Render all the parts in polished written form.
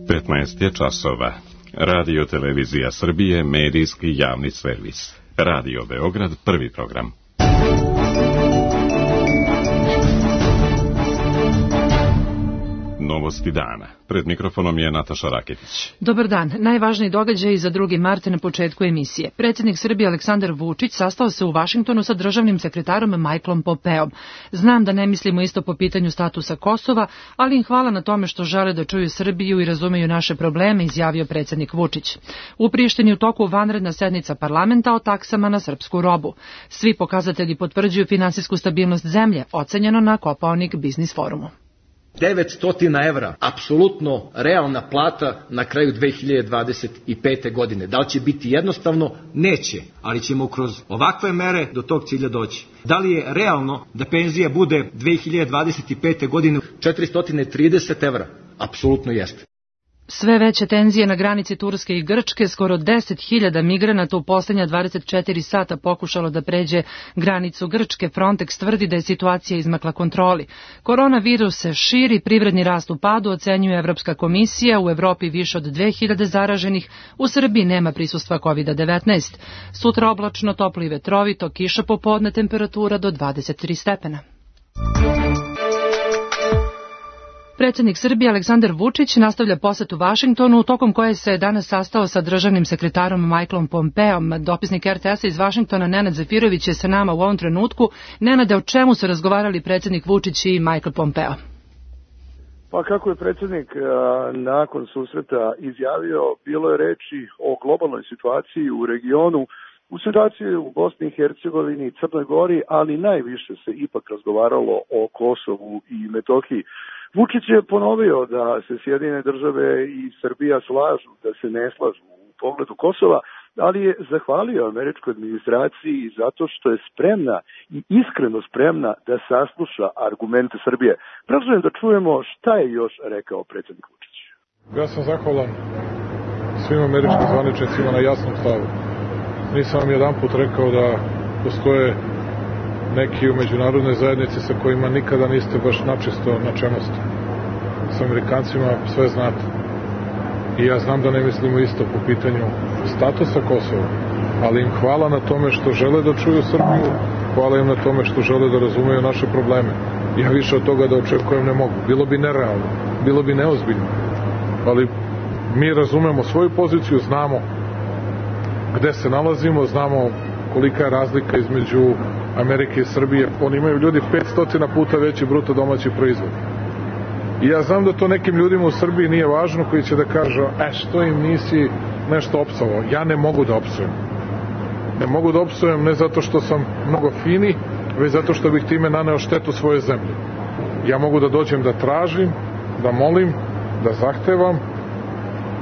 15 je časova. Radio Televizija Srbije, medijski javni servis. Radio Beograd, prvi program. Novosti dana. Pred mikrofonom je Nataša Raketić. Dobar dan. Najvažniji događaj za 2. mart na početku emisije. Predsjednik Srbije Aleksandar Vučić sastao se u Vašingtonu sa državnim sekretarom Michaelom Pompeom. Znam da ne mislimo isto po pitanju statusa Kosova, ali im hvala na tome što žele da čuju Srbiju i razumeju naše probleme, izjavio predsjednik Vučić. U Prištini u toku vanredna sednica parlamenta o taksama na srpsku robu. Svi pokazatelji potvrđuju finansijsku stabilnost zemlje, ocenjeno na Kopaonik biznis forumu. 900 evra, apsolutno realna plata na kraju 2025. godine. Da li će biti jednostavno? Neće, ali ćemo kroz ovakve mere do tog cilja doći. Da li je realno da penzija bude 2025. godine 430 evra? Apsolutno jeste. Sve veće tenzije na granici Turske i Grčke, skoro 10.000 migranata u posljednja 24 sata pokušalo da pređe granicu Grčke. Frontex tvrdi da je situacija izmakla kontroli. Koronavirus se širi, privredni rast u padu, ocenjuje Evropska komisija, u Evropi više od 2000 zaraženih, u Srbiji nema prisustva COVID-19. Sutra oblačno, toplo i vetrovito, kiša popodne, temperatura do 23 stepena. Predsjednik Srbije Aleksandar Vučić nastavlja posjet u Vašingtonu, tokom koje se danas sastao sa državnim sekretarom Michaelom Pompeom. Dopisnik RTS-a iz Vašingtona Nenad Zafirović je sa nama u ovom trenutku. Nenade, o čemu su razgovarali predsjednik Vučić i Michael Pompeo? Pa kako je predsjednik nakon susreta izjavio, bilo je reči o globalnoj situaciji u regionu, u situaciji u Bosni i Hercegovini i Crnoj Gori, ali najviše se ipak razgovaralo o Kosovu i Metohiji. Vučić je ponovio da se Sjedinjene države i Srbija slažu, da se ne slažu u pogledu Kosova, ali je zahvalio američkoj administraciji zato što je spremna i iskreno spremna da sasluša argumente Srbije. Predlažem da čujemo šta je još rekao predsjednik Vučić. Ja sam zahvalan svim američkim zvaničnicima na jasnom stavu. Nisam vam jedanput rekao da postoje neki u međunarodnoj zajednici sa kojima nikada niste baš načisto na čemu ste. S Amerikancima sve znate. I ja znam da ne mislimo isto po pitanju statusa Kosova, ali im hvala na tome što žele da čuju Srbiju, hvala im na tome što žele da razumeju naše probleme. Ja više od toga da očekujem ne mogu. Bilo bi nerealno, bilo bi neozbiljno. Ali mi razumemo svoju poziciju, znamo gde se nalazimo, znamo kolika je razlika između Amerike i Srbije. Oni imaju ljudi 500 puta veći bruto domaći proizvod. I ja znam da to nekim ljudima u Srbiji nije važno, koji će da kažu, što im nisi nešto opsovao. Ja ne mogu da opsujem. Ne mogu da opsujem ne zato što sam mnogo fini, već zato što bih time naneo štetu svoje zemlje. Ja mogu da dođem da tražim, da molim, da zahtevam,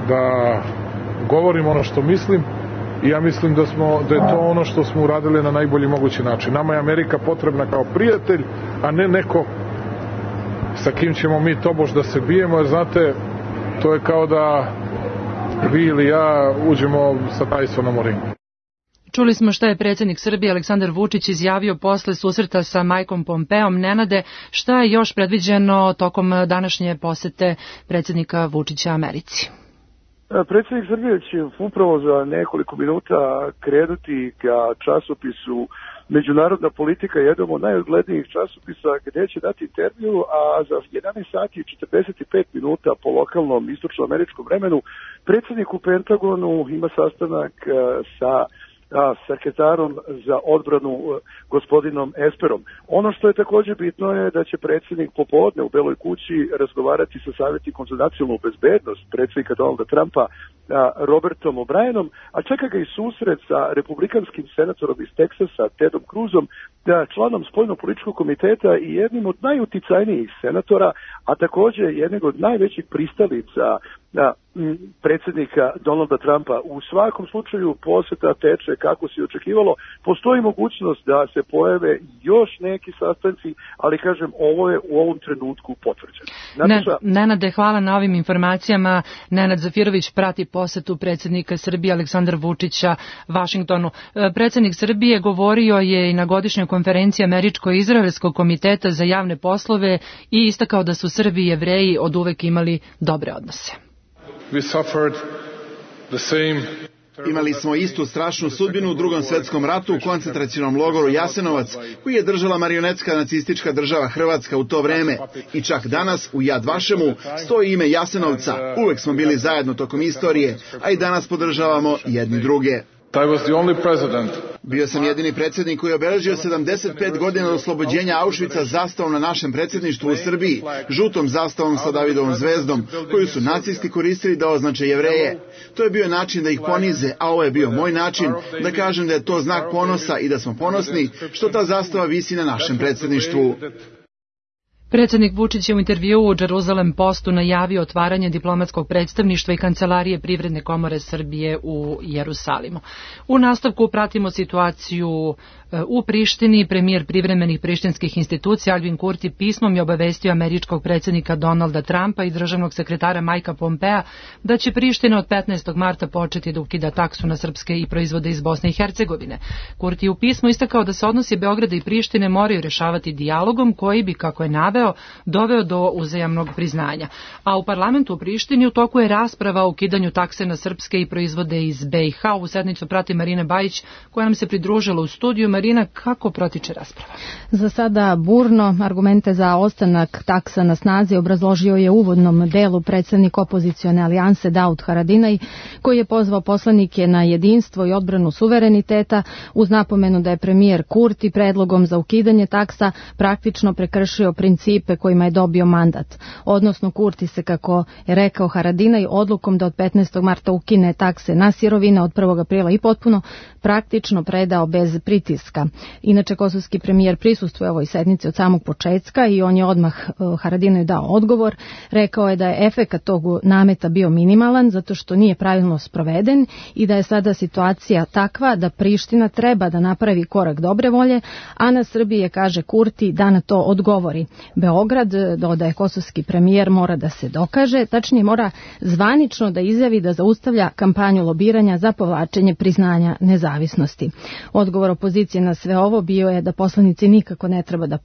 da govorim ono što mislim. I ja mislim da je to ono što smo uradili na najbolji mogući način. Nama je Amerika potrebna kao prijatelj, a ne neko sa kim ćemo mi tobož da se bijemo, jer znate, to je kao da vi ili ja uđemo sa Tysonom u ring. Čuli smo šta je predsjednik Srbije Aleksandar Vučić izjavio posle susreta sa Michaelom Pompeom. Nenade, šta je još predviđeno tokom današnje posete predsjednika Vučića Americi? Predsjednik Srbije će upravo za nekoliko minuta krenuti ka časopisu Međunarodna politika, jednom od najuglednijih časopisa, gdje će dati intervju, a za 11 sati i 45 minuta po lokalnom istočnoameričkom vremenu predsjednik u Pentagonu ima sastanak sa sekretarom za odbranu gospodinom Esperom. Ono što je također bitno je da će predsjednik popodne u Beloj kući razgovarati sa savjetnikom za nacionalnu bezbednost predsjednika Donalda Trumpa Robertom O'Brienom, a čeka ga i susret sa republikanskim senatorom iz Teksasa Tedom Cruzom, članom spoljno-političkog komiteta i jednim od najuticajnijih senatora, a također jednog od najvećih pristalica predsjednika Donalda Trumpa. U svakom slučaju posjeta teče kako se očekivalo. Postoji mogućnost da se pojave još neki sastanci, ali kažem, ovo je u ovom trenutku potvrđeno. Nenade, hvala na ovim informacijama. Nenad Zafirović prati posjetu predsjednika Srbije Aleksandra Vučića Vašingtonu. Predsjednik Srbije govorio je i na godišnjoj konferenciji Američko-Izraelskog komiteta za javne poslove i istakao da su Srbi i Jevreji oduvek imali dobre odnose. We suffered the same. Imali smo istu strašnu sudbinu u Drugom svetskom ratu u koncentracionom logoru Jasenovac, koji je držala marionetska nacistička država Hrvatska u to vreme. I čak danas u Jad Vašemu stoji ime Jasenovca. Uvek smo bili zajedno tokom istorije, a i danas podržavamo jedni druge. Bio sam jedini predsjednik koji je obeležio 75 godina od oslobođenja Auschwitza zastavom na našem predsjedništvu u Srbiji, žutom zastavom sa Davidovom zvezdom, koju su nacisti koristili da označe Jevreje. To je bio način da ih ponize, a ovo je bio moj način da kažem da je to znak ponosa i da smo ponosni što ta zastava visi na našem predsjedništvu. Predsjednik Vučić je u intervjuu u Jerusalem Postu najavio otvaranje diplomatskog predstavništva i kancelarije Privredne komore Srbije u Jerusalimu. U nastavku pratimo situaciju u Prištini. Premijer privremenih prištinskih institucija Albin Kurti pismom je obavestio američkog predsjednika Donalda Trumpa i državnog sekretara Majka Pompea da će Priština od 15. marta početi da ukida taksu na srpske i proizvode iz Bosne i Hercegovine. Kurti je u pismu istakao da se odnosi Beograda i Prištine moraju rešavati dijalogom koji bi, kako je naveo, doveo do uzajamnog priznanja. A u parlamentu u Prištini u toku je rasprava o ukidanju takse na srpske i proizvode iz BiH. U sednicu prati Marina Bajić, koja nam se pridružila u studiju. Marina, kako protiče rasprava? Za sada burno. Argumente za ostanak taksa na snazi obrazložio je u uvodnom delu predsednik opozicione alijanse Daud Haradinaj, koji je pozvao poslanike na jedinstvo i odbranu suvereniteta uz napomenu da je premijer Kurti predlogom za ukidanje taksa praktično prekršio principe kojima je dobio mandat. Odnosno Kurti se, kako je rekao Haradinaj, odlukom da od 15. marta ukine takse na sirovine od 1. aprila i potpuno praktično predao bez pritiska. Inače, kosovski premijer prisustvuje ovoj sednici od samog početka i on je odmah Haradinaju dao odgovor. Rekao je da je efekat tog nameta bio minimalan zato što nije pravilno sproveden i da je sada situacija takva da Priština treba da napravi korak dobre volje, a na Srbiji je, kaže Kurti, da na to odgovori. Beograd, dodaje kosovski premijer, mora da se dokaže, tačnije mora zvanično da izjavi da zaustavlja kampanju lobiranja za povlačenje priznanja nezavisnosti. Odgovor opozicije na sve ovo bio je da poslanici nikako ne treba da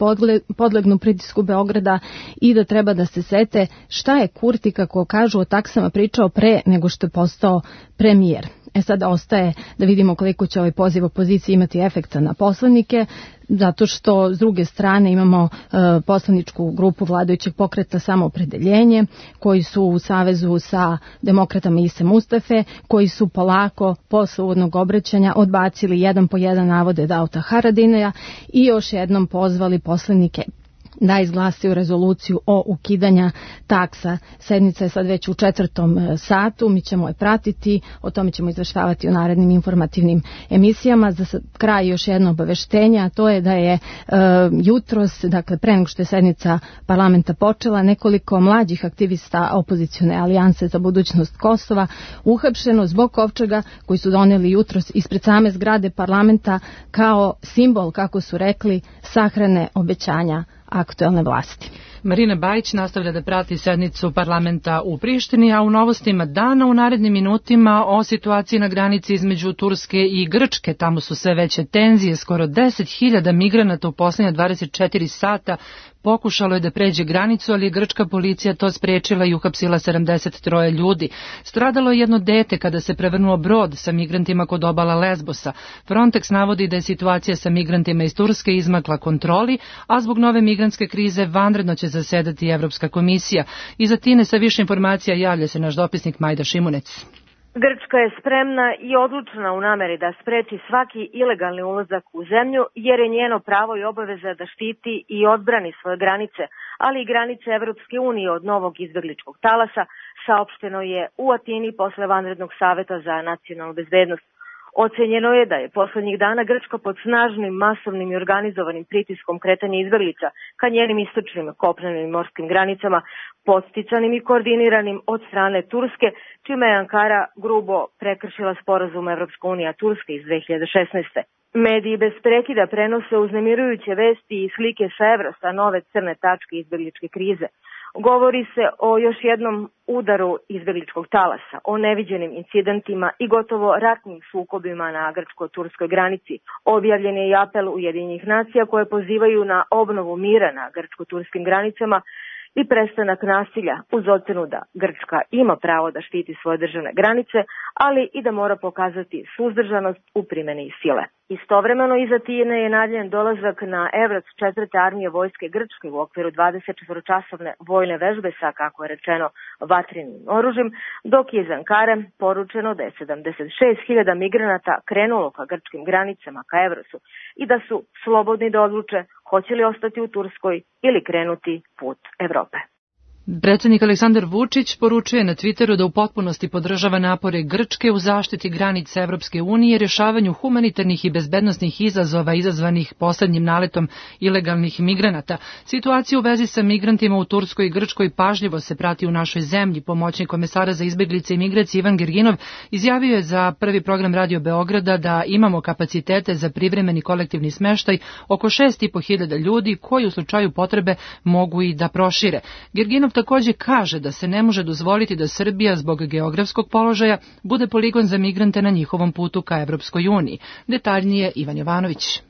podlegnu pritisku Beograda i da treba da se sete šta je Kurti, kako kažu, o taksama pričao pre nego što je postao premijer. Sada ostaje da vidimo koliko će ovaj poziv opozicije imati efekta na poslanike, zato što s druge strane imamo poslaničku grupu vladajućeg pokreta Samoopredeljenje, koji su u savezu sa demokratama Ise Mustafe, koji su polako posle uvodnog obraćanja odbacili jedan po jedan navode Dauda Haradinaja i još jednom pozvali poslanike da izglasaju rezoluciju o ukidanja taksa. Sednica je sad već u 4. satu, mi ćemo je pratiti, o tome ćemo izveštavati u narednim informativnim emisijama. Za kraj još jedno obaveštenje, a to je da je jutros, dakle pre nego što je sednica parlamenta počela, nekoliko mlađih aktivista opozicione alijanse za budućnost Kosova uhapšeno zbog kovčega koji su doneli jutros ispred same zgrade parlamenta kao simbol, kako su rekli, sahrane obećanja aktuelne vlasti. Marina Bajić nastavlja da prati sednicu parlamenta u Prištini, a u novostima dana u narednim minutima o situaciji na granici između Turske i Grčke. Tamo su sve veće tenzije, skoro 10.000 migranata u posljednja 24 sata pokušalo je da pređe granicu, ali je grčka policija to sprečila i uhapsila 73 ljudi. Stradalo je jedno dete kada se prevrnuo brod sa migrantima kod obala Lesbosa. Frontex navodi da je situacija sa migrantima iz Turske izmakla kontroli, a zbog nove migrantske krize vanredno će zasedati Evropska komisija. Iza Tine sa više informacija javlja se naš dopisnik Majda Šimunec. Grčka je spremna i odlučna u nameri da spreči svaki ilegalni ulazak u zemlju, jer je njeno pravo i obaveza da štiti i odbrani svoje granice, ali i granice Evropske unije od novog izbegličkog talasa, saopšteno je u Atini posle vanrednog saveta za nacionalnu bezbednost. Ocenjeno je da je poslednjih dana Grčka pod snažnim, masovnim i organizovanim pritiskom kretanja izbeglica ka njenim istočnim, kopnenim i morskim granicama, podsticanim i koordiniranim od strane Turske, čime je Ankara grubo prekršila sporazum Evropska unija Turske iz 2016. Mediji bez prekida prenose uznemirujuće vesti i slike sa Evrosta, nove crne tačke izbegličke krize. Govori se o još jednom udaru izbegličkog talasa, o neviđenim incidentima i gotovo ratnim sukobima na grčko-turskoj granici. Objavljen je i apel Ujedinjenih nacija koje pozivaju na obnovu mira na grčko-turskim granicama i prestanak nasilja uz ocenu da Grčka ima pravo da štiti svoje državne granice, ali i da mora pokazati suzdržanost u primjeni sile. Istovremeno iz Atine je najavljen dolazak na Evrac 4. armije vojske Grčke u okviru 24-časovne vojne vežbe sa, kako je rečeno, vatrenim oružjem, dok je iz Ankare poručeno da je 76.000 migranata krenulo ka grčkim granicama ka Evrosu i da su slobodni da odluče hoće li ostati u Turskoj ili krenuti put Evrope. Predsjednik Aleksandar Vučić poručuje na Twitteru da u potpunosti podržava napore Grčke u zaštiti granica Evropske unije i rješavanju humanitarnih i bezbednosnih izazova izazvanih poslednjim naletom ilegalnih migranata. Situacija u vezi sa migrantima u Turskoj i Grčkoj pažljivo se prati u našoj zemlji. Pomoćnik komesara za izbeglice i migracije Ivan Gerginov izjavio je za prvi program Radio Beograda da imamo kapacitete za privremeni kolektivni smeštaj oko 6.500 ljudi koji u slučaju potrebe mogu i da prošire. Gerginov također kaže da se ne može dozvoliti da Srbija zbog geografskog položaja bude poligon za migrante na njihovom putu ka Evropskoj uniji. Detaljnije Ivan Jovanović.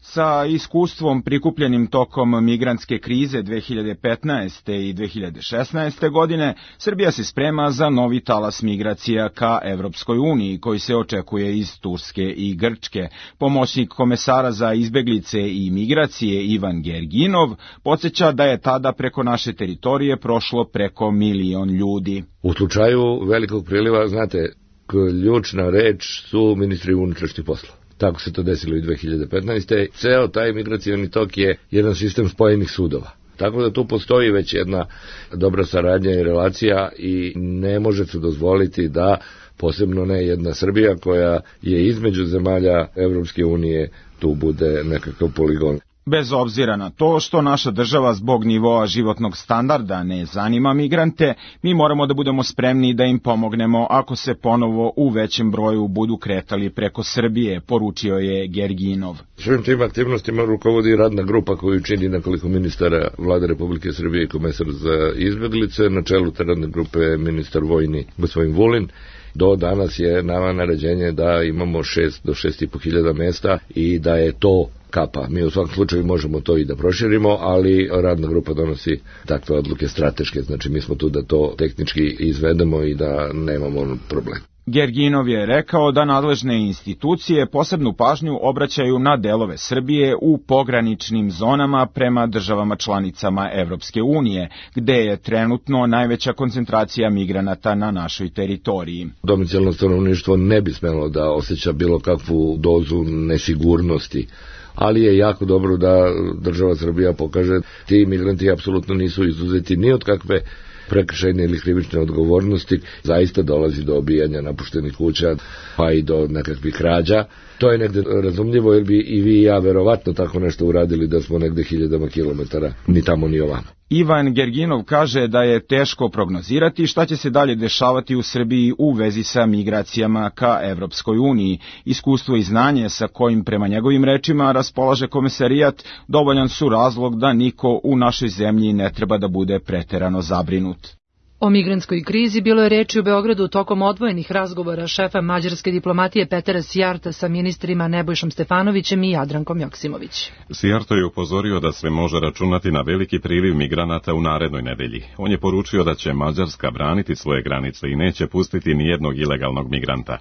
Sa iskustvom prikupljenim tokom migrantske krize 2015. i 2016. godine, Srbija se sprema za novi talas migracija ka Evropskoj uniji, koji se očekuje iz Turske i Grčke. Pomoćnik komesara za izbeglice i migracije Ivan Gerginov podsjeća da je tada preko naše teritorije prošlo preko 1 milion ljudi. U slučaju velikog priliva, znate, ključna reč su ministri unutrašnjih poslova. Tako se to desilo i 2015. Ceo taj migracioni tok je jedan sistem spojenih sudova. Tako da tu postoji već jedna dobra saradnja i relacija i ne može se dozvoliti da, posebno ne jedna Srbija koja je između zemalja Evropske unije, tu bude nekakav poligon. Bez obzira na to što naša država zbog nivoa životnog standarda ne zanima migrante, mi moramo da budemo spremni da im pomognemo ako se ponovo u većem broju budu kretali preko Srbije, poručio je Gerginov. Svim tim aktivnostima rukovodi radna grupa koju čini nekoliko ministara Vlade Republike Srbije i komesar za izbeglice. Na čelu te radne grupe je ministar vojni gospodin Vulin. Do danas je nama naređenje da imamo 6 do 6.500 mesta i da je to kapa. Mi u svakom slučaju možemo to i da proširimo, ali radna grupa donosi takve odluke strateške, znači mi smo tu da to tehnički izvedemo i da nemamo problem. Gerginov je rekao da nadležne institucije posebnu pažnju obraćaju na delove Srbije u pograničnim zonama prema državama članicama Evropske unije, gde je trenutno najveća koncentracija migranata na našoj teritoriji. Domicilno stanovništvo ne bi smelo da osjeća bilo kakvu dozu nesigurnosti, ali je jako dobro da država Srbija pokaže ti migranti apsolutno nisu izuzeti ni od kakve prekršajne ili krivične odgovornosti. Zaista dolazi do obijanja napuštenih kuća, pa i do nekakvih krađa. To je negde razumljivo, jer bi i vi i ja verovatno tako nešto uradili da smo negde 1000 kilometara, ni tamo ni ovamo. Ivan Gerginov kaže da je teško prognozirati šta će se dalje dešavati u Srbiji u vezi sa migracijama ka Evropskoj uniji. Iskustvo i znanje sa kojim prema njegovim rečima raspolaže komesarijat dovoljan su razlog da niko u našoj zemlji ne treba da bude preterano zabrinut. O migrantskoj krizi bilo je reči u Beogradu tokom odvojenih razgovora šefa mađarske diplomatije Petera Sijarta sa ministrima Nebojšom Stefanovićem i Jadrankom Joksimović. Sijarto je upozorio da se može računati na veliki priliv migranata u narednoj nedelji. On je poručio da će Mađarska braniti svoje granice i neće pustiti nijednog ilegalnog migranta.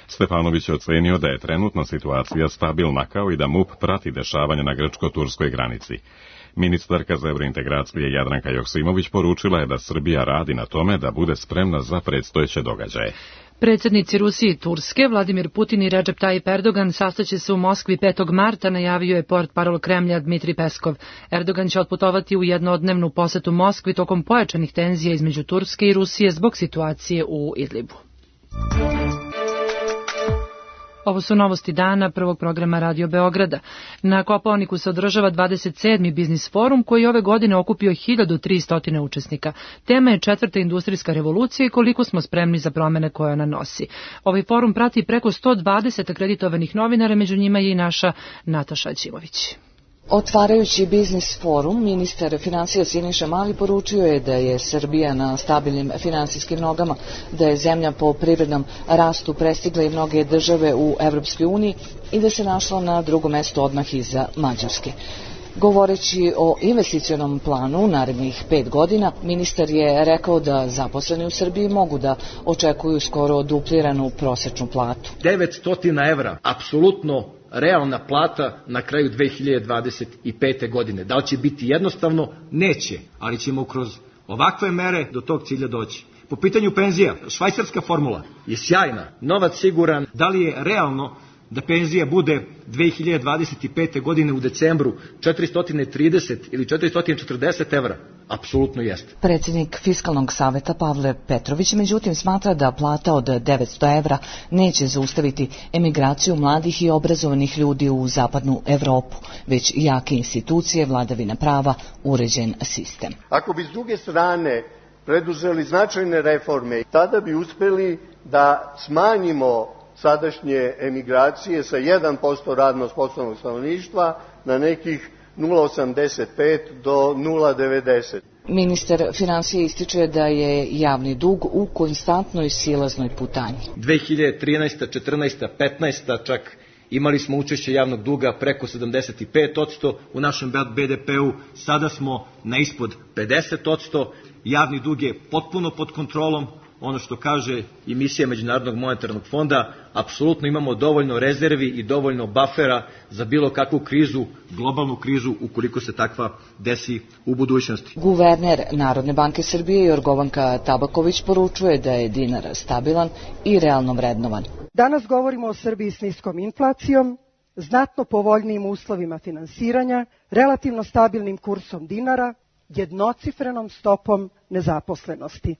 Stefanović je ocenio da je trenutno situacija stabilna, kao i da MUP prati dešavanja na grčko-turskoj granici. Ministarka za evrointegracije Jadranka Joksimović poručila je da Srbija radi na tome da bude spremna za predstojeće događaje. Predsjednici Rusije i Turske, Vladimir Putin i Recep Tayyip Erdogan sastaće se u Moskvi 5. marta, najavio je portparol Kremlja Dmitrij Peskov. Erdogan će otputovati u jednodnevnu posetu Moskvi tokom pojačanih tenzija između Turske i Rusije zbog situacije u Idlibu. Ovo su novosti dana prvog programa Radio Beograda. Na Kopaoniku se održava 27. biznis forum koji ove godine okupio 1300 učesnika. Tema je 4. industrijska revolucija i koliko smo spremni za promene koje ona nosi. Ovaj forum prati preko 120 akreditovanih novinara, među njima je i naša Nataša Ćimović. Otvarajući biznis forum, ministar finansija Siniša Mali poručio je da je Srbija na stabilnim finansijskim nogama, da je zemlja po privrednom rastu prestigla i mnoge države u Evropskoj uniji i da se našla na drugom mestu odmah iza Mađarske. Govoreći o investicionom planu u narednih 5 godina, ministar je rekao da zaposleni u Srbiji mogu da očekuju skoro dupliranu prosečnu platu. 900 evra, apsolutno realna plata na kraju 2025. godine. Da li će biti jednostavno? Neće, ali ćemo kroz ovakve mere do tog cilja doći. Po pitanju penzija, švajcarska formula je sjajna, novac siguran. Da li je realno da penzija bude 2025. godine u decembru 430 ili 440 evra? Apsolutno jeste. Predsjednik Fiskalnog saveta Pavle Petrović međutim smatra da plata od 900 evra neće zaustaviti emigraciju mladih i obrazovanih ljudi u zapadnu Evropu, već jake institucije, vladavina prava, uređen sistem. Ako bi s druge strane preduzeli značajne reforme, tada bi uspeli da smanjimo sadašnje emigracije sa 1% radno sposobnog stanovništva na nekih 0,85 do 0,90. Ministar financija ističe da je javni dug u konstantnoj silaznoj putanji. 2013. 14. 15. čak imali smo učešće javnog duga preko 75% u našem BDP-u, sada smo na ispod 50%, javni dug je potpuno pod kontrolom, ono što kaže i misija Međunarodnog monetarnog fonda, apsolutno imamo dovoljno rezervi i dovoljno bafera za bilo kakvu krizu, globalnu krizu, ukoliko se takva desi u budućnosti. Guverner Narodne banke Srbije Jorgovanka Tabaković poručuje da je dinar stabilan i realno vrednovan. Danas govorimo o Srbiji s niskom inflacijom, znatno povoljnijim uslovima finansiranja, relativno stabilnim kursom dinara, jednocifrenom stopom nezaposlenosti.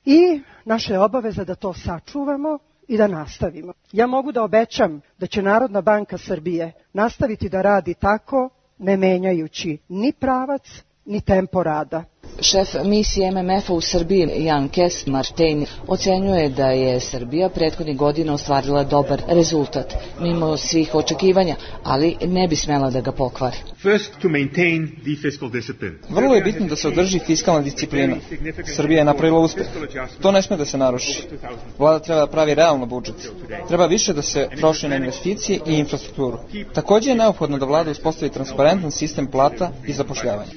I naša je obaveza da to sačuvamo i da nastavimo. Ja mogu da obećam da će Narodna banka Srbije nastaviti da radi tako, ne menjajući ni pravac, ni tempo rada. Šef misije MMF-a u Srbiji Jan Kes Martin ocenjuje da je Srbija prethodnih godina ostvarila dobar rezultat, mimo svih očekivanja, ali ne bi smela da ga pokvari. Vrlo je bitno da se održi fiskalna disciplina. Srbija je napravila uspeh. To ne sme da se naruši. Vlada treba da pravi realno budžet. Treba više da se troši na investicije i infrastrukturu. Takođe je neophodno da vlada uspostavi transparentan sistem plata i zapošljavanja.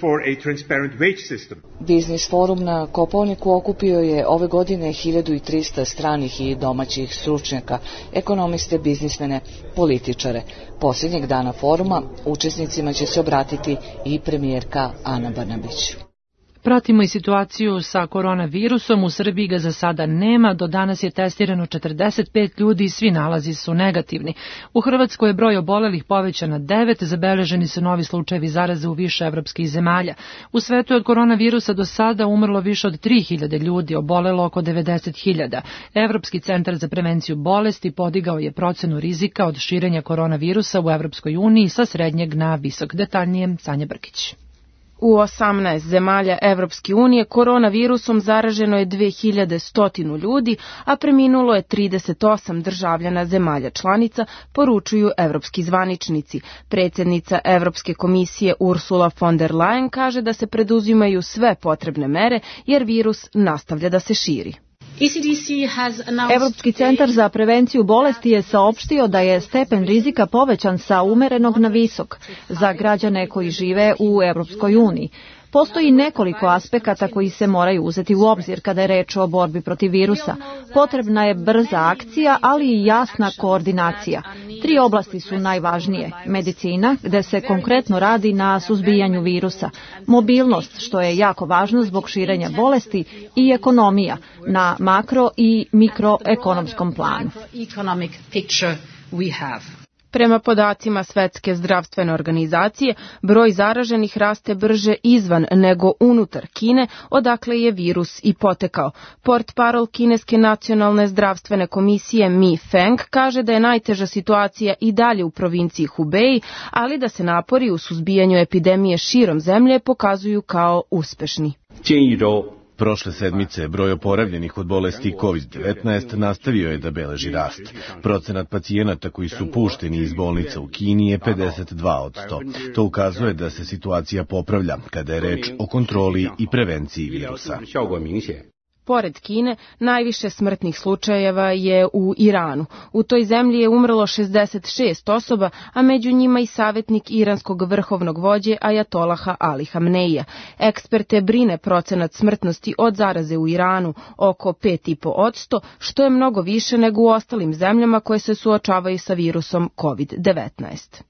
Biznis forum na Kopaoniku okupio je ove godine 1300 stranih i domaćih stručnjaka, ekonomiste, biznismene, političare. Posljednjeg dana foruma učesnicima će se obratiti i premijerka Ana Brnabić. Pratimo i situaciju sa koronavirusom. U Srbiji ga za sada nema. Do danas je testirano 45 ljudi i svi nalazi su negativni. U Hrvatskoj je broj obolelih povećan na 9. Zabeleženi su novi slučajevi zaraze u više evropskih zemalja. U svetu je od koronavirusa do sada umrlo više od 3000 ljudi, obolelo oko 90.000. Evropski centar za prevenciju bolesti podigao je procenu rizika od širenja koronavirusa u Evropskoj uniji sa srednjeg na visok. Detaljnije Sanja Brkić. U 18 zemalja Evropske unije koronavirusom zaraženo je 2100 ljudi, a preminulo je 38 državljana zemalja članica, poručuju evropski zvaničnici. Predsjednica Evropske komisije Ursula von der Leyen kaže da se preduzimaju sve potrebne mere jer virus nastavlja da se širi. Evropski centar za prevenciju bolesti je saopštio da je stepen rizika povećan sa umerenog na visok za građane koji žive u Evropskoj uniji. Postoji nekoliko aspekata koji se moraju uzeti u obzir kada je reč o borbi protiv virusa. Potrebna je brza akcija, ali i jasna koordinacija. 3 oblasti su najvažnije. Medicina, gde se konkretno radi na suzbijanju virusa. Mobilnost, što je jako važno zbog širenja bolesti, i ekonomija na makro i mikroekonomskom planu. Prema podacima Svetske zdravstvene organizacije, broj zaraženih raste brže izvan nego unutar Kine, odakle je virus i potekao. Portparol Kineske nacionalne zdravstvene komisije Mi Feng kaže da je najteža situacija i dalje u provinciji Hubei, ali da se napori u suzbijanju epidemije širom zemlje pokazuju kao uspešni. Prošle sedmice broj oporavljenih od bolesti COVID-19 nastavio je da beleži rast. Procenat pacijenata koji su pušteni iz bolnica u Kini je 52%. To ukazuje da se situacija popravlja kada je reč o kontroli i prevenciji virusa. Pored Kine, najviše smrtnih slučajeva je u Iranu. U toj zemlji je umrlo 66 osoba, a među njima i savjetnik iranskog vrhovnog vođe Ajatolaha Ali Hamneija. Eksperte brine procenat smrtnosti od zaraze u Iranu, oko 5,5%, što je mnogo više nego u ostalim zemljama koje se suočavaju sa virusom COVID-19.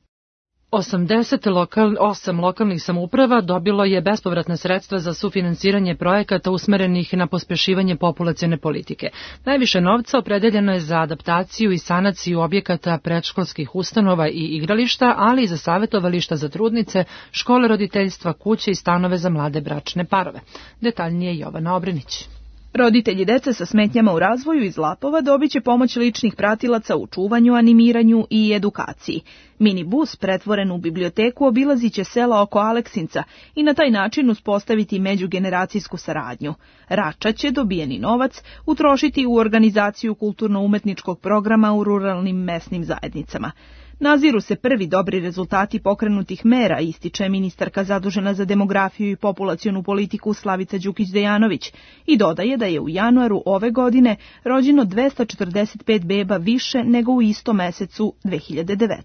8 lokalnih samouprava dobilo je bespovratna sredstva za sufinansiranje projekata usmerenih na pospešivanje populacione politike. Najviše novca opredeljeno je za adaptaciju i sanaciju objekata predškolskih ustanova i igrališta, ali i za savjetovališta za trudnice, škole roditeljstva, kuće i stanove za mlade bračne parove. Detaljnije Jovana Obrenić. Roditelji dece sa smetnjama u razvoju iz Lapova dobit će pomoć ličnih pratilaca u čuvanju, animiranju i edukaciji. Minibus pretvoren u biblioteku obilazit će sela oko Aleksinca i na taj način uspostaviti međugeneracijsku saradnju. Rača će dobijeni novac utrošiti u organizaciju kulturno-umetničkog programa u ruralnim mesnim zajednicama. Naziru se prvi dobri rezultati pokrenutih mera, ističe ministarka zadužena za demografiju i populacionu politiku Slavica Đukić-Dejanović i dodaje da je u januaru ove godine rođeno 245 beba više nego u istom mesecu 2019.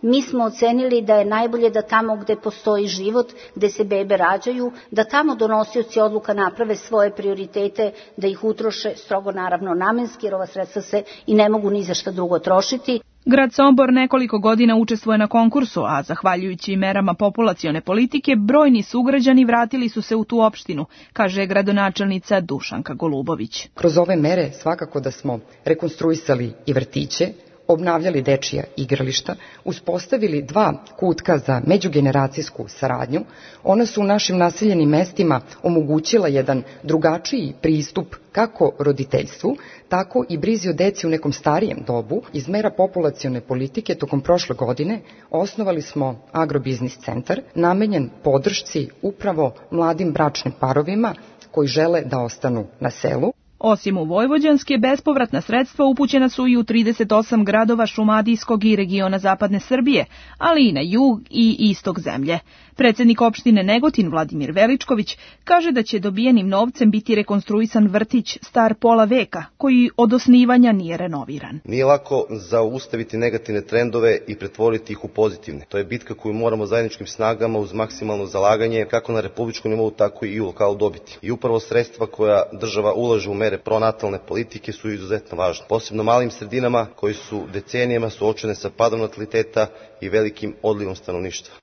Mi smo ocenili da je najbolje da tamo gde postoji život, gde se bebe rađaju, da tamo donosioci odluka naprave svoje prioritete, da ih utroše strogo naravno namenski, jer ova sredstva se i ne mogu ni za šta drugo trošiti. Grad Sombor nekoliko godina učestvuje na konkursu, a zahvaljujući merama populacione politike, brojni sugrađani vratili su se u tu opštinu, kaže gradonačelnica Dušanka Golubović. Kroz ove mere svakako da smo rekonstruisali i vrtiće, obnavljali dečija igrališta, uspostavili 2 kutka za međugeneracijsku saradnju. Ona su u našim naseljenim mestima omogućila jedan drugačiji pristup kako roditeljstvu, tako i brizi o deci u nekom starijem dobu. Iz mera populacione politike tokom prošle godine osnovali smo agrobiznis centar namenjen podršci upravo mladim bračnim parovima koji žele da ostanu na selu. Osim u vojvođanske, bespovratna sredstva upućena su i u 38 gradova Šumadijskog i regiona Zapadne Srbije, ali i na jug i istok zemlje. Predsjednik opštine Negotin Vladimir Veličković kaže da će dobijenim novcem biti rekonstruisan vrtić star pola veka, koji od osnivanja nije renoviran. Nije lako zaustaviti negativne trendove i pretvoriti ih u pozitivne. To je bitka koju moramo zajedničkim snagama uz maksimalno zalaganje kako na republičkom nivou, tako i u lokalu dobiti. I upravo sredstva koja država ulaže u mere pronatalne politike su izuzetno važne. Posebno malim sredinama koji su decenijama suočene sa padom nataliteta i velikim odlivom stanovništva.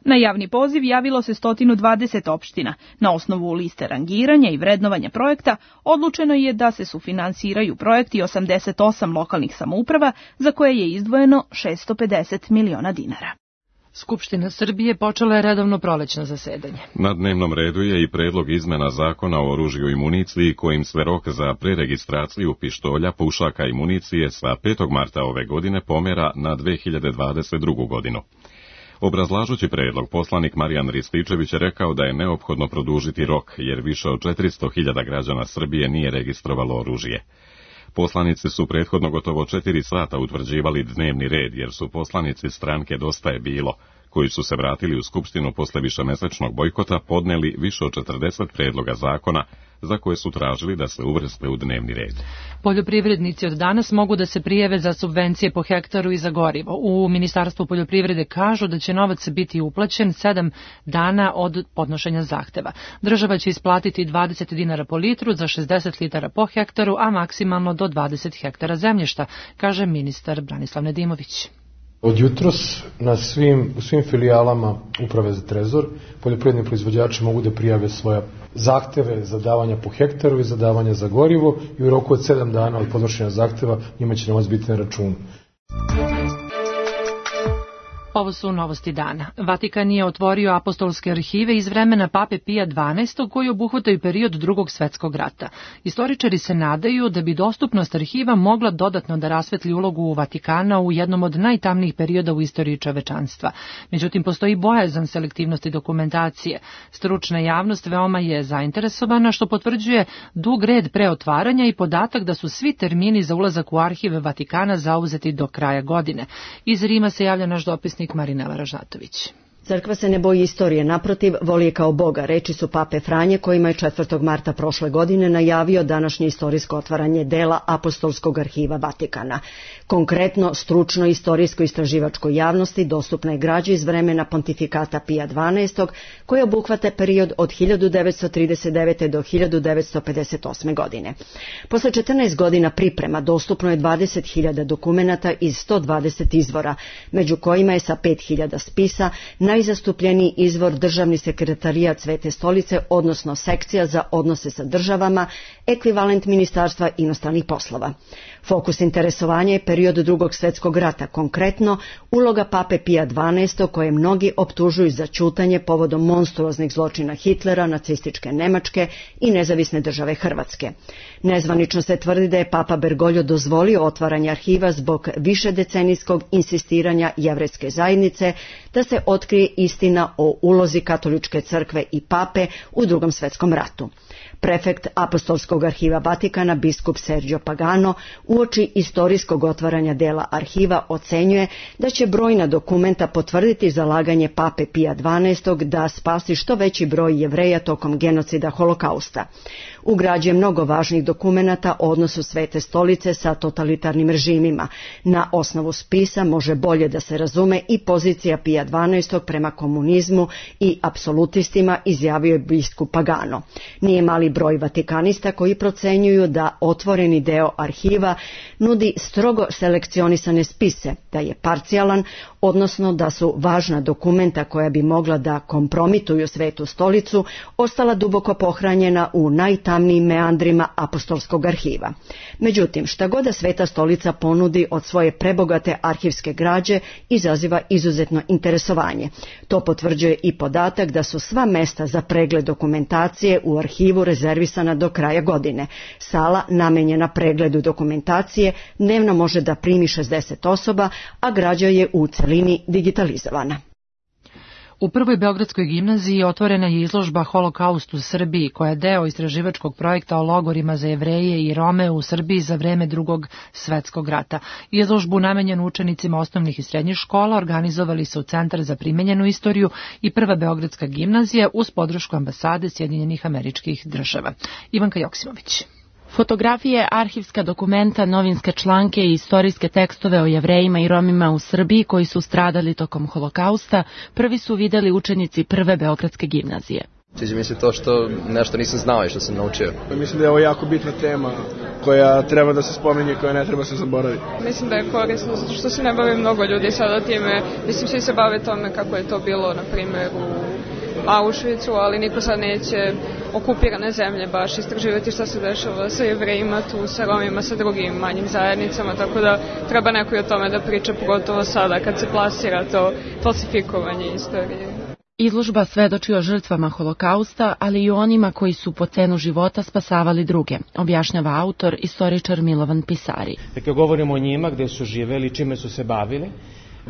Na javni poziv javilo se 120 opština. Na osnovu liste rangiranja i vrednovanja projekta odlučeno je da se sufinansiraju projekti 88 lokalnih samouprava za koje je izdvojeno 650 miliona dinara. Skupština Srbije počela je redovno prolećno zasedanje. Na dnevnom redu je i predlog izmena zakona o oružju i municiji kojim se rok za preregistraciju pištolja, pušaka i municije sa 5. marta ove godine pomera na 2022. godinu. Obrazlažući predlog, poslanik Marijan Rističević je rekao da je neophodno produžiti rok, jer više od 400.000 građana Srbije nije registrovalo oružje. Poslanici su prethodno gotovo 4 sata utvrđivali dnevni red, jer su poslanici stranke Dosta je bilo, koji su se vratili u Skupštinu posle višemesečnog bojkota, podneli više od 40 predloga zakona za koje su tražili da se uvrste u dnevni red. Poljoprivrednici od danas mogu da se prijave za subvencije po hektaru i za gorivo. U Ministarstvu poljoprivrede kažu da će novac biti uplaćen 7 dana od podnošenja zahteva. Država će isplatiti 20 dinara po litru za 60 litara po hektaru, a maksimalno do 20 hektara zemljišta, kaže ministar Branislav Nedimović. Od jutros u svim filijalama Uprave za trezor poljoprivredni proizvođači mogu da prijave svoje zahteve za davanja po hektaru i za davanja za gorivo i u roku od 7 dana od podnošenja zahteva njima će novac biti na računu. Ovo su novosti dana. Vatikan je otvorio apostolske arhive iz vremena Pape Pija XII. Koji obuhvataju period Drugog svjetskog rata. Istoričari se nadaju da bi dostupnost arhiva mogla dodatno da rasvetli ulogu Vatikana u jednom od najtamnijih perioda u istoriji čovečanstva. Međutim, postoji bojazan selektivnosti dokumentacije. Stručna javnost veoma je zainteresovana, što potvrđuje dug red pre otvaranja i podatak da su svi termini za ulazak u arhive Vatikana zauzeti do kraja godine. Iz Rima se javlja naš dopisnik Marinela Ražnatović. Crkva se ne boji istorije, naprotiv, voli je kao Boga, reči su pape Franje, kojima je 4. marta prošle godine najavio današnje istorijsko otvaranje dela Apostolskog arhiva Vatikana. Konkretno, stručno istorijsko-istraživačkoj javnosti dostupna je građa iz vremena pontifikata Pija XII, koja obuhvata period od 1939. do 1958. godine. Posle 14 godina priprema dostupno je 20.000 dokumenata iz 120 izvora, među kojima je sa 5.000 spisa najzastupljeniji izvor Državni sekretarijat Svete stolice, odnosno sekcija za odnose sa državama, ekvivalent Ministarstva inostranih poslova. Fokus interesovanja je period Drugog svjetskog rata, konkretno uloga pape Pija XII, koje mnogi optužuju za ćutanje povodom monstruoznih zločina Hitlera, nacističke Nemačke i nezavisne države Hrvatske. Nezvanično se tvrdi da je papa Bergoglio dozvolio otvaranje arhiva zbog višedecenijskog insistiranja jevrejske zajednice da se otkrije istina o ulozi katoličke crkve i pape u Drugom svjetskom ratu. Prefekt Apostolskog arhiva Vatikana, biskup Sergio Pagano, uoči istorijskog otvaranja dela arhiva ocenjuje da će brojna dokumenta potvrditi zalaganje pape Pija XII da spasi što veći broj Jevreja tokom genocida Holokausta. Ugrađuje mnogo važnih dokumenata o odnosu Svete stolice sa totalitarnim režimima. Na osnovu spisa može bolje da se razume i pozicija Pija XII prema komunizmu i apsolutistima, izjavio je biskup Pagano. Nije mali broj vatikanista koji procenjuju da otvoreni deo arhiva nudi strogo selekcionisane spise, da je parcijalan, odnosno da su važna dokumenta koja bi mogla da kompromituju Svetu stolicu ostala duboko pohranjena u najtamnijim meandrima Apostolskog arhiva. Međutim, šta god da Sveta stolica ponudi od svoje prebogate arhivske građe izaziva izuzetno interesovanje. To potvrđuje i podatak da su sva mesta za pregled dokumentacije u arhivu rezervisana do kraja godine. Sala namenjena pregledu dokumentacije dnevno može da primi 60 osoba, a građa je u celini digitalizovana. U prvoj Beogradskoj gimnaziji otvorena je izložba Holokaust u Srbiji, koja je deo istraživačkog projekta o logorima za Jevreje i Rome u Srbiji za vreme Drugog svjetskog rata. Izložbu namenjenu učenicima osnovnih i srednjih škola organizovali su Centar za primenjenu istoriju i prva Beogradska gimnazija uz podršku ambasade Sjedinjenih Američkih Država. Ivanka Joksimović. Fotografije, arhivska dokumenta, novinske članke i istorijske tekstove o Jevrejima i Romima u Srbiji koji su stradali tokom Holokausta prvi su videli učenici prve Beogradske gimnazije. Sviđa mi se to što nešto nisam znao i što sam naučio. Mislim da je ovo jako bitna tema koja treba da se spominje i koja ne treba se zaboraviti. Mislim da je korisno zato što se ne bavi mnogo ljudi sada time. Mislim svi se bave tome kako je to bilo, na primjer, u Auschwitzu, ali niko sad neće okupirane zemlje baš istraživati šta se dešava sa Jevrejima tu, sa Romima, sa drugim manjim zajednicama, tako da treba neko i o tome da priča, pogotovo sada kad se plasira to falsifikovanje istorije. Izložba svedoči o žrtvama Holokausta, ali i o onima koji su po cenu života spasavali druge, objašnjava autor, istoričar Milovan Pisari. Dakle, govorimo o njima, gde su živeli, čime su se bavili.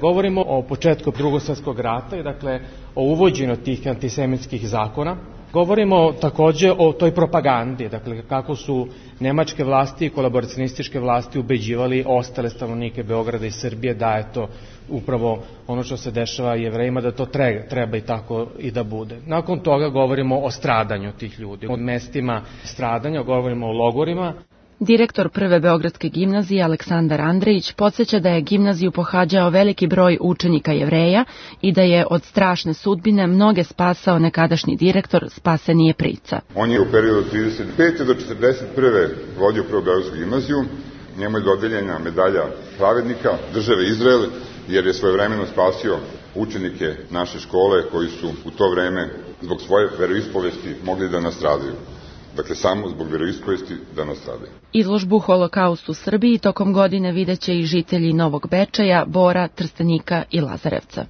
Govorimo o početku Drugog svjetskog rata i dakle o uvođenju tih antisemitskih zakona. Govorimo takođe o toj propagandi, dakle kako su nemačke vlasti i kolaboracionističke vlasti ubeđivali ostale stanovnike Beograda i Srbije da je to upravo ono što se dešava Jevrejima, da to treba i tako i da bude. Nakon toga govorimo o stradanju tih ljudi, o mestima stradanja, govorimo o logorima. Direktor prve Beogradske gimnazije Aleksandar Andrejić podsjeća da je gimnaziju pohađao veliki broj učenika Jevreja i da je od strašne sudbine mnoge spasao nekadašnji direktor Spasenije Prica. On je u periodu od 35. do 41. vodio prvu Beogradsku gimnaziju. Njemu je dodeljena medalja pravednika države Izrael, jer je svojevremeno spasio učenike naše škole koji su u to vreme zbog svoje veroispovesti mogli da nastradaju. Dakle, samo zbog veroispovesti da nastradaju. Izložbu Holokaust u Srbiji tokom godine videće i žitelji Novog Bečeja, Bora, Trstenika i Lazarevca.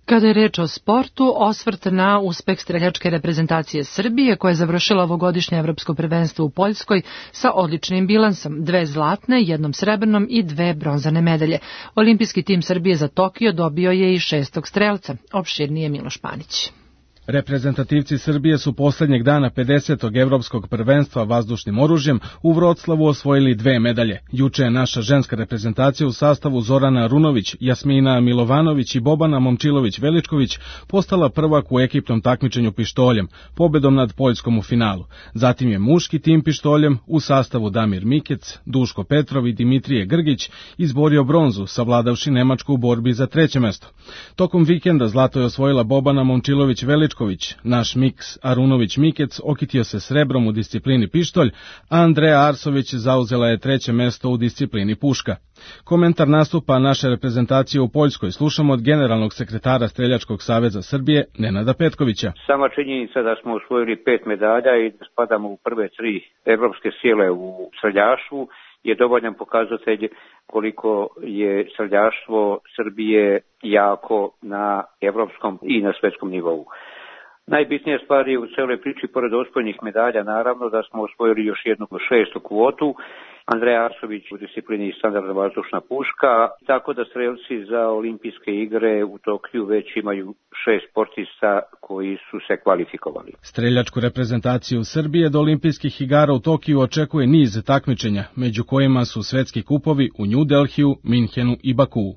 Kada je reč o sportu, osvrt na uspeh streljačke reprezentacije Srbije, koja je završila ovogodišnje evropsko prvenstvo u Poljskoj sa odličnim bilansom, 2 zlatne, 1 srebrnom i 2 bronzane medalje. Olimpijski tim Srbije za Tokio dobio je i 6. strelca, opširnije Miloš Panić. Reprezentativci Srbije su posljednjeg dana 50. evropskog prvenstva vazdušnim oružjem u Vroclavu osvojili 2 medalje. Juče je naša ženska reprezentacija u sastavu Zorana Arunović, Jasmina Milovanović i Bobana Momčilović-Veličković postala prvak u ekipnom takmičenju pištoljem, pobedom nad Poljskom u finalu. Zatim je muški tim pištoljem u sastavu Damir Mikec, Duško Petrov i Dimitrije Grgić izborio bronzu, savladavši Nemačku u borbi za 3. mesto. Tokom vikenda zlato je osvojila Bobana Momčilović-Veličković. Naš miks Arunović-Mikec okitio se srebrom u disciplini pištolj, a Andreja Arsović zauzela je 3. mesto u disciplini puška. Komentar nastupa naše reprezentacije u Poljskoj slušamo od generalnog sekretara Streljačkog saveza Srbije, Nenada Petkovića. Sama činjenica da smo osvojili 5 medalja i da spadamo u prve 3 evropske sile u streljaštvu je dovoljan pokazatelj koliko je streljaštvo Srbije jako na evropskom i na svetskom nivou. Najbitnija stvar je u celoj priči, pored osvojenih medalja, naravno da smo osvojili još jednu 6. kvotu, Andreja Arsović u disciplini standardna vazdušna puška, tako da strelci za olimpijske igre u Tokiju već imaju 6 sportista koji su se kvalifikovali. Streljačku reprezentaciju Srbije do olimpijskih igara u Tokiju očekuje niz takmičenja, među kojima su svetski kupovi u New Delhiju, Minhenu i Bakuu.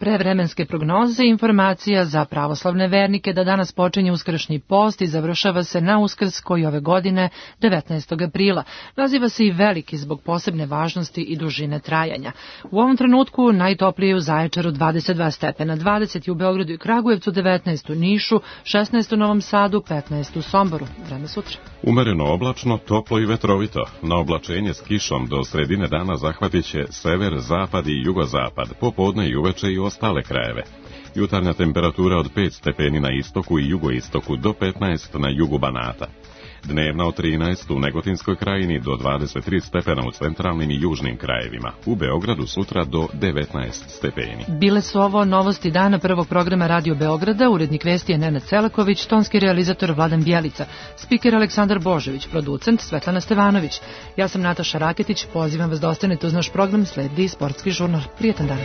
Prevremenske prognoze i informacija za pravoslavne vernike da danas počinje uskršnji post i završava se na Uskrs koji ove godine 19. aprila. Naziva se i veliki zbog posebne važnosti i dužine trajanja. U ovom trenutku najtoplije u Zaječaru 22 stepena, 20 u Beogradu i Kragujevcu, 19 u Nišu, 16 u Novom Sadu, 15 u Somboru. Vreme sutra. Umereno oblačno, toplo i vetrovito. Na oblačenje s kišom do sredine dana zahvatit će sever, zapad i jugozapad, popodne i uveče i ostale krajeve. Jutarnja temperatura od 5 stepeni na istoku i jugoistoku do 15 na jugu Banata. Dnevna od 13 u Negotinskoj krajini do 23 stepena u centralnim i južnim krajevima. U Beogradu sutra do 19 stepeni. Bile su ovo novosti dana prvog programa Radio Beograda, urednik vesti je Nenad Celaković, tonski realizator Vladan Bjelica, spiker Aleksandar Božović, producent Svetlana Stevanović. Ja sam Nataša Raketić, pozivam vas da ostanete uz naš program, sledi sportski žurnal. Prijetan dan.